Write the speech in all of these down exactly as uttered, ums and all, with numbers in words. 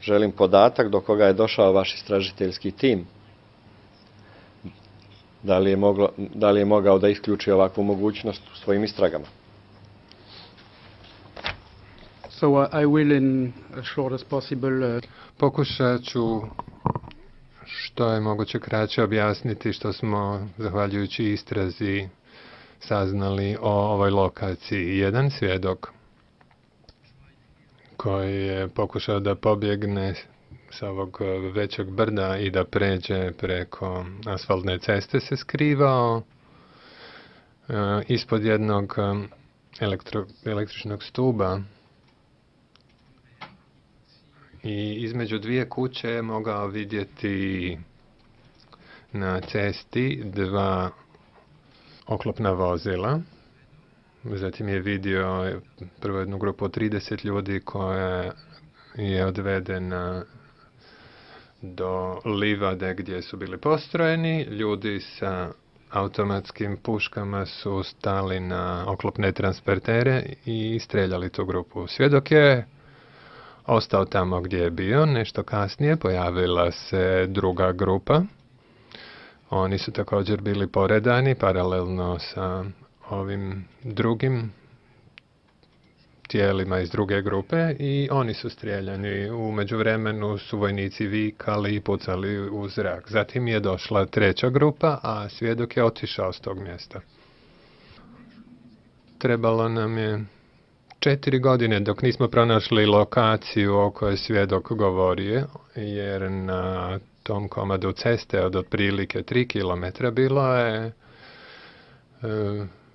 želim podatak do koga je došao vaš istražiteljski tim. Da li je, moglo, da li je mogao da isključi ovakvu mogućnost u svojim istragama? So uh, I will, in as short as possible, uh... Pokušat ću što je moguće kraće objasniti što smo, zahvaljujući istrazi, saznali o ovoj lokaciji. Jedan svjedok koji je pokušao da pobjegne sa ovog većeg brda i da pređe preko asfaltne ceste se skrivao uh, ispod jednog um, elektro, električnog stuba i između dvije kuće je mogao vidjeti na cesti dva oklopna vozila. Zatim je vidio prvo jednu grupu od trideset ljudi koja je odvedena do livade gdje su bili postrojeni. Ljudi sa automatskim puškama su stali na oklopne transportere i streljali tu grupu. Svjedok je ostao tamo gdje je bio. Nešto kasnije pojavila se druga grupa. Oni su također bili poredani paralelno sa ovim drugim tijelima iz druge grupe i oni su strijeljani. U međuvremenu su vojnici vikali i pucali u zrak. Zatim je došla treća grupa, a svjedok je otišao s tog mjesta. Trebalo nam je četiri godine dok nismo pronašli lokaciju o kojoj svjedok govorio, jer na tom komadu ceste od otprilike tri kilometra bilo je e,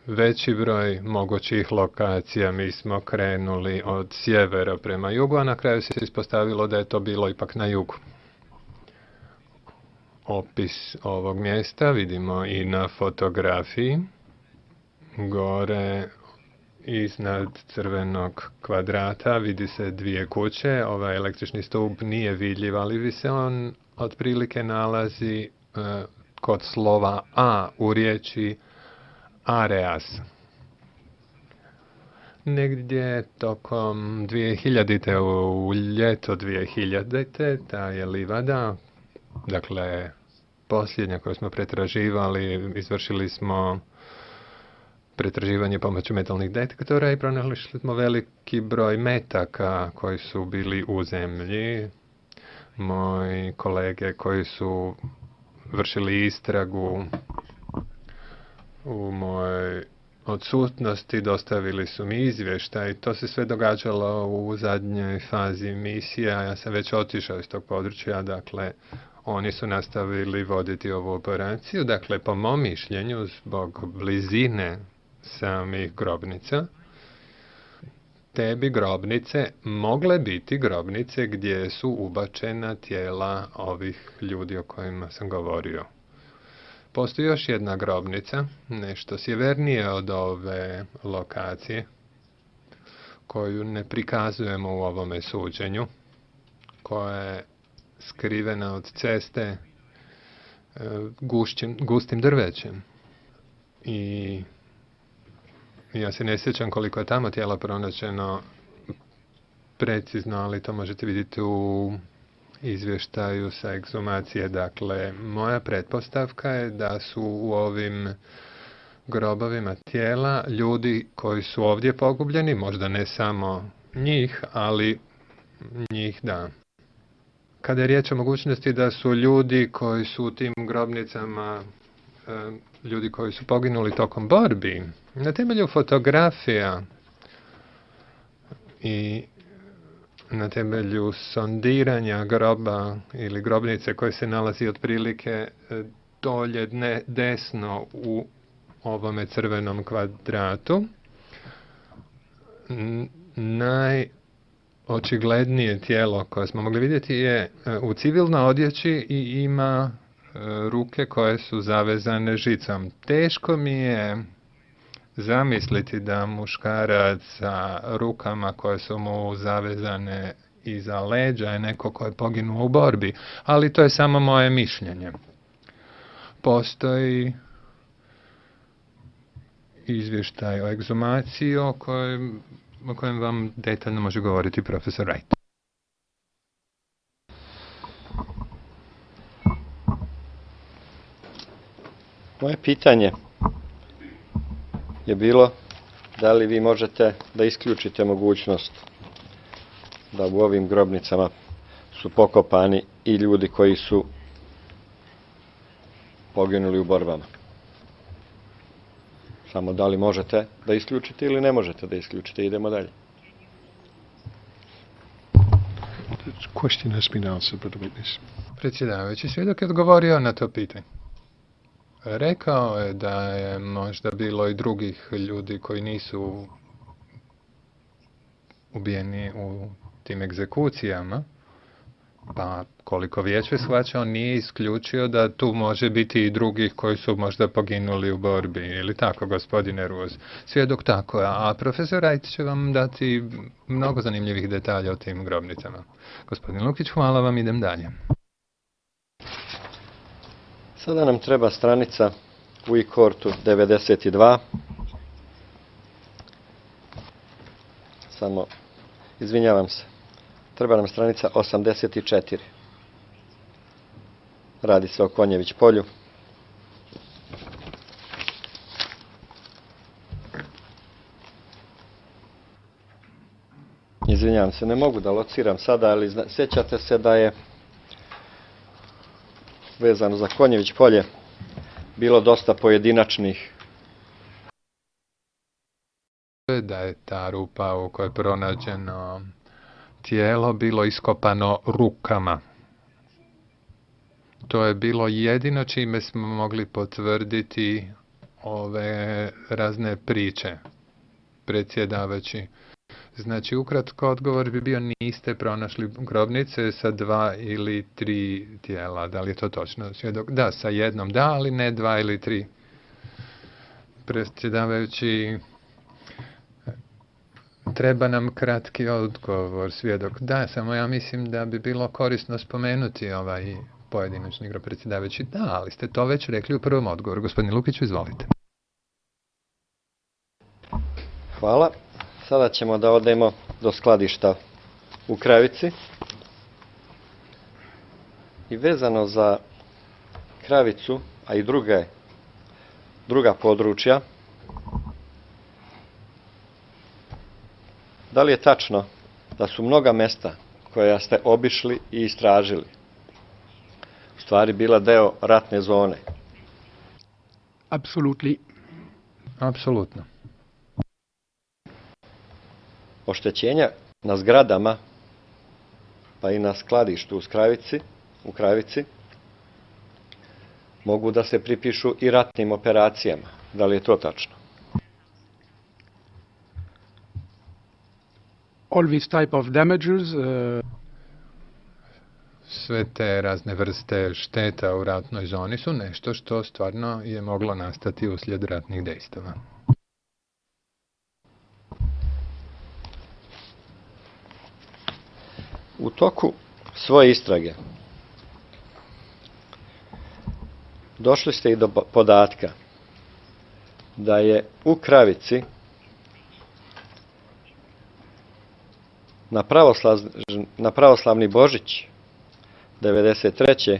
veći broj mogućih lokacija. Mi smo krenuli od sjevera prema jugu, a na kraju se ispostavilo da je to bilo ipak na jugu. Opis ovog mjesta vidimo i na fotografiji. Gore iznad crvenog kvadrata vidi se dvije kuće. Ovaj električni stup nije vidljiv, ali se on otprilike nalazi uh, kod slova A u riječi Areas. Negdje tokom dvije hiljadite u ljeto dvije hiljadite ta je livada, dakle posljednja koju smo pretraživali, izvršili smo pretraživanje pomoću metalnih detektora i pronašli smo veliki broj metaka koji su bili u zemlji. Moji kolege koji su vršili istragu u mojoj odsutnosti dostavili su mi izvještaj. To se sve događalo u zadnjoj fazi misije, a ja sam već otišao iz tog područja, dakle oni su nastavili voditi ovu operaciju. Dakle, po mom mišljenju, zbog blizine samih grobnica, te bi grobnice mogle biti grobnice gdje su ubačena tijela ovih ljudi o kojima sam govorio. Postoji još jedna grobnica, nešto sjevernije od ove lokacije, koju ne prikazujemo u ovome suđenju, koja je skrivena od ceste gušćim, gustim drvećem. I ja se ne sjećam koliko je tamo tijela pronađeno precizno, ali to možete vidjeti u izvještaju sa ekshumacije. Dakle, moja pretpostavka je da su u ovim grobovima tijela ljudi koji su ovdje pogubljeni, možda ne samo njih, ali njih da. Kada je riječ o mogućnosti da su ljudi koji su u tim grobnicama ljudi koji su poginuli tokom borbi, na temelju fotografija i na temelju sondiranja groba ili grobnice koje se nalazi otprilike dolje dne, desno u ovome crvenom kvadratu, najočiglednije tijelo koje smo mogli vidjeti je u civilnoj odjeći i ima ruke koje su zavezane žicom. Teško mi je zamisliti da muškarac sa rukama koje su mu zavezane iza leđa je neko ko je poginuo u borbi, ali to je samo moje mišljenje. Postoji izvještaj o ekshumaciji o kojem, o kojem vam detaljno može govoriti profesor Wright. Moje pitanje je bilo da li vi možete da isključite mogućnost da u ovim grobnicama su pokopani i ljudi koji su poginuli u borbama. Samo da li možete da isključite ili ne možete da isključite. Idemo dalje. The question has been answered by the witness. Predsjedavajući svjedok je odgovorio na to pitanje. Rekao je da je možda bilo i drugih ljudi koji nisu ubijeni u tim egzekucijama, pa koliko vijeće shvaća, on nije isključio da tu može biti i drugih koji su možda poginuli u borbi, ili tako, gospodine Ruoz. Svjedok tako, a profesor Rajt će vam dati mnogo zanimljivih detalja o tim grobnicama. Gospodin Lukić, hvala vam, idem dalje. Sada nam treba stranica u i-kortu devedeset dva. Samo, izvinjavam se, treba nam stranica osamdeset četiri. Radi se o Konjević polju. Izvinjavam se, ne mogu da lociram sada, ali zna, sjećate se da je vezano za Konjević polje bilo dosta pojedinačnih. Da je ta rupa u kojoj je pronađeno tijelo bilo iskopano rukama. To je bilo jedino čime smo mogli potvrditi ove razne priče, predsjedavajući. Znači, ukratko odgovor bi bio niste pronašli grobnice sa dva ili tri tijela. Da li je to točno? Svjedok, da, sa jednom da, ali ne dva ili tri. Predsjedavajući, treba nam kratki odgovor, svjedok. Da, samo ja mislim da bi bilo korisno spomenuti ovaj pojedinačni grob, predsjedavajući. Da, ali ste to već rekli u prvom odgovoru. Gospodin Lukiću, izvolite. Hvala. Sada ćemo da odemo do skladišta u Kravici. I vezano za Kravicu, a i druge, druga područja, da li je tačno da su mnoga mesta koja ste obišli i istražili u stvari bila deo ratne zone? Absolutely. Apsolutno. Oštećenja na zgradama, pa i na skladištu u Kravici, u Kravici, mogu da se pripišu i ratnim operacijama. Da li je to tačno? All these type of damages, uh, Sve te razne vrste šteta u ratnoj zoni su nešto što stvarno je moglo nastati uslijed ratnih dejstava. U toku svoje istrage došli ste i do podatka da je u Kravici na, pravoslav, na pravoslavni Božić devedeset treće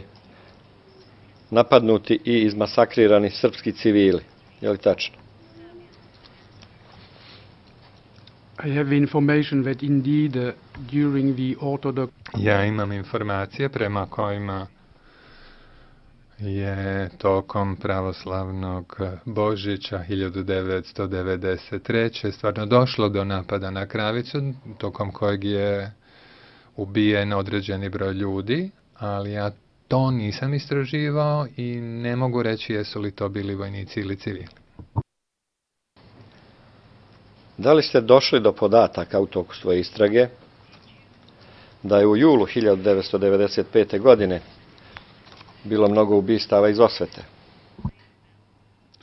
napadnuti i izmasakrirani srpski civili. Je li tačno? I have information that indeed uh, during the Orthodox Ja imam informacije prema kojima je tokom pravoslavnog Božića hiljadu devetsto devedeset treće stvarno došlo do napada na Kravicu, tokom kojeg je ubijen određeni broj ljudi, ali ja to nisam istraživao i ne mogu reći jesu li to bili vojnici ili civili. Da li ste došli do podataka u toku svoje istrage da je u julu hiljadu devetsto devedeset pete. godine bilo mnogo ubistava iz osvete?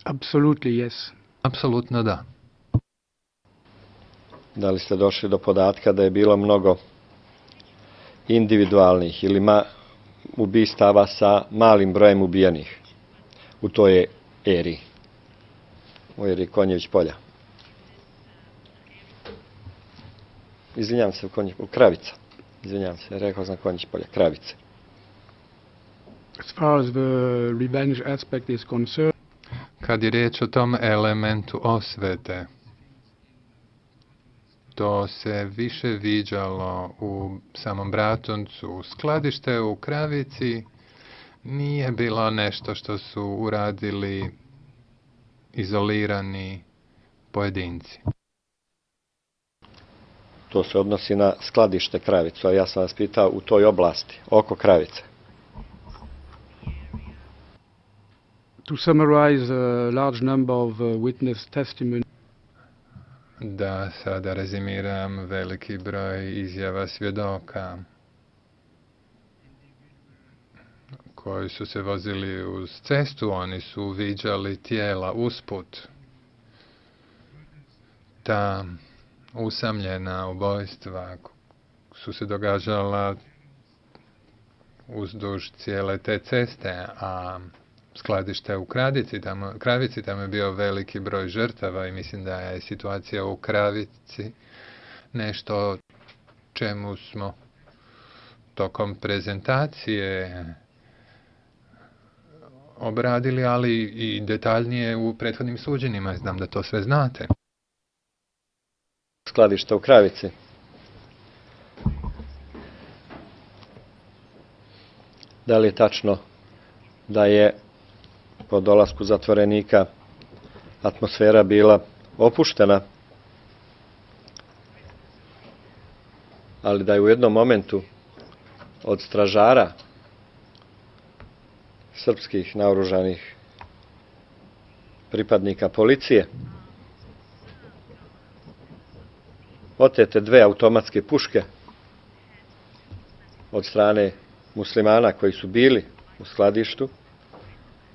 Absolutely, yes. Apsolutno da. Da li ste došli do podatka da je bilo mnogo individualnih ili ma, ubistava sa malim brojem ubijenih u toj eri, u eri Konjević polja? Izvinjavam se, u, Konjić, u Kravica. Izvinjavam se, rekao sam Konjić polja, Kravice. As far as the revenge aspect is concerned, kad je riječ o tom elementu osvete, to se više viđalo u samom Bratuncu. Skladište u Kravici nije bilo nešto što su uradili izolirani pojedinci. To se odnosi na skladište Kravicu, a ja sam vas pitao u toj oblasti, oko Kravice. To summarize a large number of uh, witness testimony, Da sada rezimiram veliki broj izjava svjedoka koji su se vozili uz cestu, oni su viđali tijela usput. Ta usamljena ubojstva su se događala uzduž cijele te ceste, a skladište u Kravici, tamo, Kravici, tamo je bio veliki broj žrtava i mislim da je situacija u Kravici nešto čemu smo tokom prezentacije obradili, ali i detaljnije u prethodnim suđenjima. Znam da to sve znate. Skladište u Kravici. Da li je tačno da je po dolasku zatvorenika atmosfera bila opuštena, ali da je u jednom momentu od stražara srpskih naoružanih pripadnika policije otete dve automatske puške od strane muslimana koji su bili u skladištu,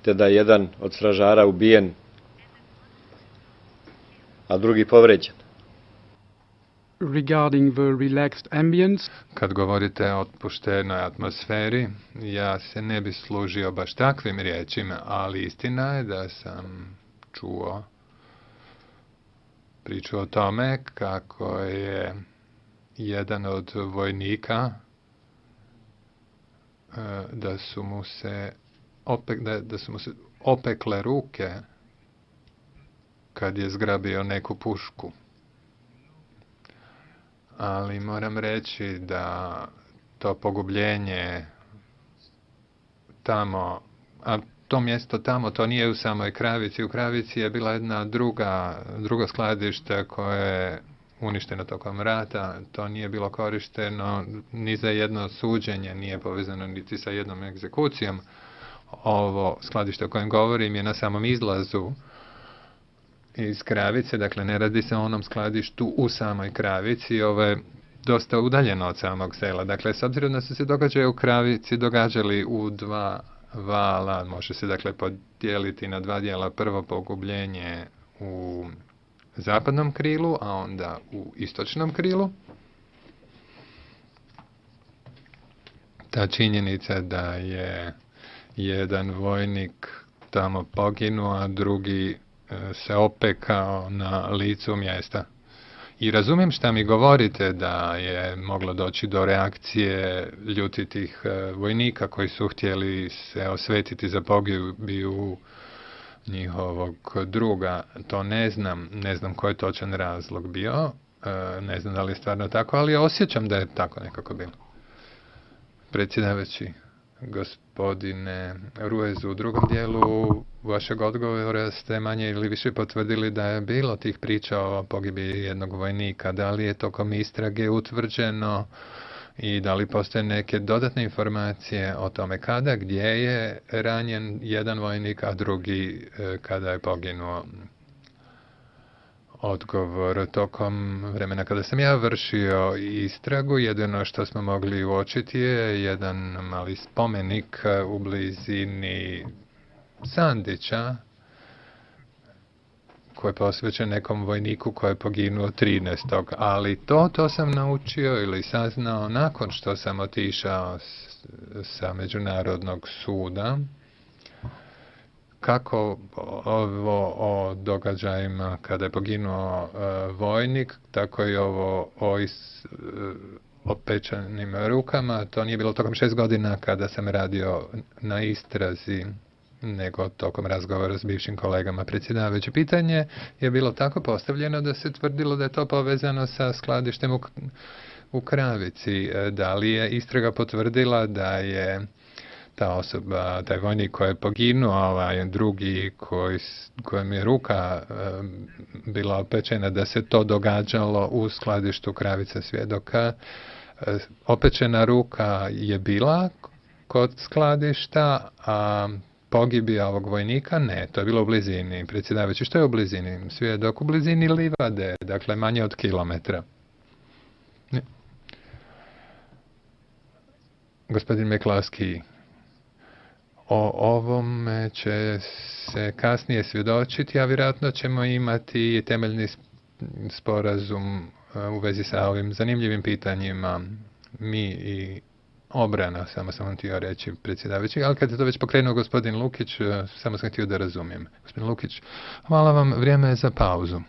te da je jedan od stražara ubijen, a drugi povređen. regarding the relaxed ambience, Kad govorite o otpuštenoj atmosferi, ja se ne bi služio baš takvim riječima, ali istina je da sam čuo priču o tome kako je jedan od vojnika e, da su mu se opek, da, da su mu se opekle ruke kad je zgrabio neku pušku. Ali moram reći da to pogubljenje tamo, a to mjesto tamo, to nije u samoj Kravici. U Kravici je bila jedna druga, drugo skladište koje je uništeno tokom rata. To nije bilo korišteno ni za jedno suđenje, nije povezano niti sa jednom egzekucijom. Ovo skladište o kojem govorim je na samom izlazu iz Kravice, dakle ne radi se o onom skladištu u samoj Kravici, ovo je dosta udaljeno od samog sela. Dakle, s obzirom da su se događaje u Kravici događali u dva vala, može se dakle podijeliti na dva dijela. Prvo pogubljenje u zapadnom krilu, a onda u istočnom krilu. Ta činjenica da je jedan vojnik tamo poginuo, a drugi se opekao na licu mjesta. I razumijem šta mi govorite da je moglo doći do reakcije ljutitih vojnika koji su htjeli se osvetiti za pogibiju njihovog druga. To ne znam, ne znam koji je točan razlog bio, ne znam da li je stvarno tako, ali osjećam da je tako nekako bilo. Predsjedavajući, gospodine Ruezu, u drugom dijelu vašeg odgovora ste manje ili više potvrdili da je bilo tih priča o pogibiji jednog vojnika. Da li je tokom istrage utvrđeno i da li postoje neke dodatne informacije o tome kada, gdje je ranjen jedan vojnik, a drugi kada je poginuo? Odgovor: tokom vremena kada sam ja vršio istragu, jedino što smo mogli uočiti je jedan mali spomenik u blizini Sandića koji je posvećen nekom vojniku koji je poginuo trinaestog Ali to, to sam naučio ili saznao nakon što sam otišao sa Međunarodnog suda. Kako ovo o događajima kada je poginuo uh, vojnik, tako i ovo o is, uh, opečanim rukama. To nije bilo tokom šest godina kada sam radio na istrazi nego tokom razgovora s bivšim kolegama. Predsjedavajuće pitanje je bilo tako postavljeno da se tvrdilo da je to povezano sa skladištem u, u Kravici. Da li je istraga potvrdila da je ta osoba, taj vojnik koji je poginuo, ovaj drugi koji, kojem je ruka e, bila opečena, da se to događalo u skladištu Kravica svjedoka? E, opečena ruka je bila kod skladišta, a pogibija ovog vojnika ne, to je bilo u blizini. Predsjedavajući, što je u blizini? Svjedok u blizini livade, dakle manje od kilometra. Ne. Gospodin Meklavski, o ovome će se kasnije svjedočiti, a vjerojatno ćemo imati temeljni sporazum u vezi sa ovim zanimljivim pitanjima. Mi i obrana, samo sam vam htio reći, predsjedavajući, ali kad je to već pokrenuo gospodin Lukić, samo sam htio da razumijem. Gospodin Lukić, hvala vam, vrijeme je za pauzu.